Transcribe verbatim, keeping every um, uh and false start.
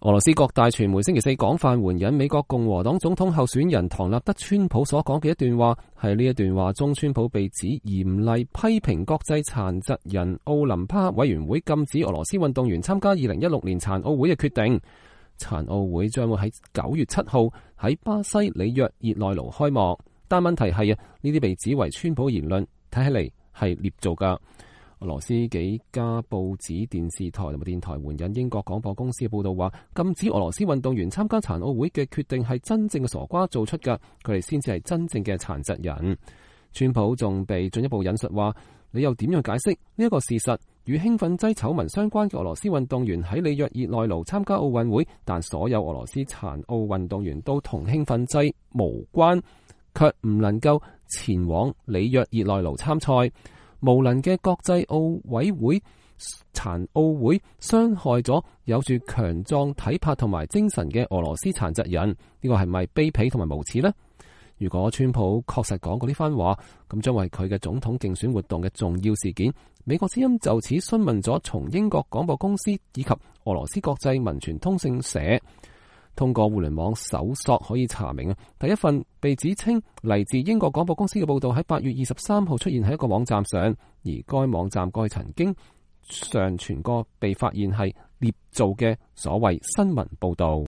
俄羅斯各大傳媒星期四廣泛援引美國共和黨總統候選人唐納德川普所講嘅一段話，喺呢一段話中，川普被指嚴厲批評國際殘疾人奧林匹克委員會禁止俄羅斯運動員參加二零一六年殘奧會嘅決定。殘奧會將會喺九月七號喺巴西里約熱內盧開幕，但問題係啊，呢啲被指為川普言論，睇起嚟係捏造噶。俄羅斯幾家報紙、電視台同埋電台援引英國廣播公司嘅報道話，禁止俄羅斯運動員參加殘奧會嘅決定係真正嘅傻瓜做出㗎，佢哋先至係真正嘅殘疾人。川普仲被進一步引述話，你又點樣解釋呢一個事實？與興奮劑醜聞相關嘅俄羅斯運動員喺里約熱內盧參加奧運會，但所有俄羅斯殘奧運動員都同興奮劑無關，卻唔能夠前往里約熱內盧參賽。無能嘅國際奧委會殘奧會傷害咗有住強壯體魄同埋精神嘅俄羅斯殘疾人，呢個係咪卑鄙同埋無恥呢？如果川普確實講過呢番話，咁將為佢嘅總統競選活動嘅重要事件。美國之音就此詢問咗從英國廣播公司以及俄羅斯國際文傳通訊社，通過互聯網搜索可以查明啊，第一份被指稱嚟自英國廣播公司嘅報道喺八月二十三號出現喺一個網站上，而該網站過去曾經上傳過被發現係捏造嘅所謂新聞報道。